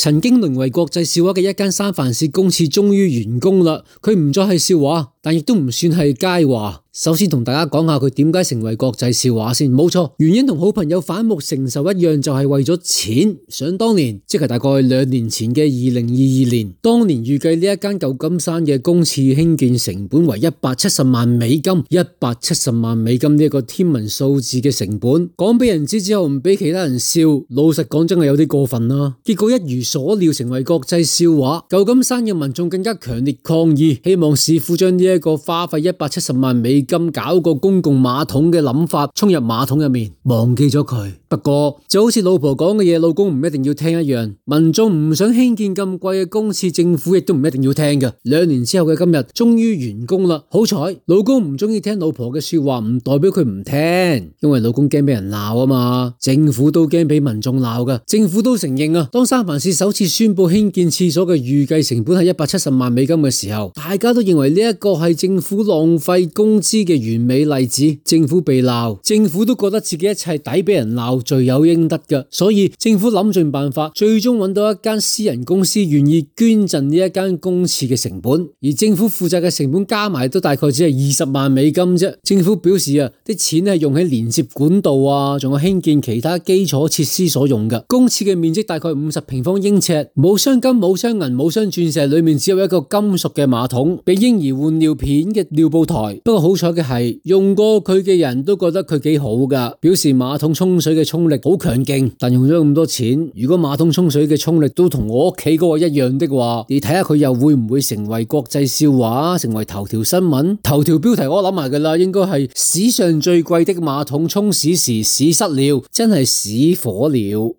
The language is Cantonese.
曾經淪為國際笑話嘅一間三藩市公廁終於完工啦，佢唔再係笑話，但亦都唔算係佳話。首先同大家講下佢點解成為國際笑話先，冇錯，原因同好朋友反目成仇一樣，就係為咗錢。想當年，即係大概2年前嘅2022年，當年預計呢一間舊金山嘅公廁興建成本為170萬美金，170萬美金呢一個天文數字嘅成本，講俾人知之後唔俾其他人笑，老實講真係有啲過分啦。結果一如所料成為國際笑話，舊金山嘅民眾更加強烈抗議，希望市府將呢一個花費170萬美金搞個公共馬桶嘅諗法沖入馬桶入面，忘記咗佢。不過就好似老婆講嘅嘢，老公唔一定要聽一樣。民眾唔想興建咁貴嘅公廁，政府亦都唔一定要聽嘅。2年之後嘅今日，終於完工啦。好彩老公唔中意聽老婆嘅說話，唔代表佢唔聽，因為老公驚俾人鬧啊嘛。政府都驚俾民眾鬧噶，政府都承認啊。當三藩市首次宣布興建廁所嘅預計成本係170萬美金嘅時候，大家都認為呢一個係政府浪費工資嘅完美例子。政府被鬧，政府都覺得自己一切抵俾人鬧，罪有應得嘅，所以政府諗盡辦法，最終揾到一間私人公司願意捐贈呢一間公廁嘅成本，而政府負責嘅成本加埋都大概只係20萬美金啫。政府表示啊，啲錢係用喺連接管道啊，仲有興建其他基礎設施所用嘅。公廁嘅面積大概50平方英尺，冇鑲金、冇鑲銀、冇鑲鑽石，裏面只有一個金屬嘅馬桶，俾嬰兒換尿片嘅尿布台。不過好彩嘅係，用過佢嘅人都覺得佢幾好噶，表示馬桶沖水嘅沖力好強勁。但用咗咁多錢，如果馬桶沖水嘅沖力都同我屋企嗰個一樣的話，你睇下佢又會唔會成為國際笑話，成為頭條新聞？頭條標題我諗埋噶啦，應該係史上最貴的馬桶沖屎時屎失了，真係屎火了。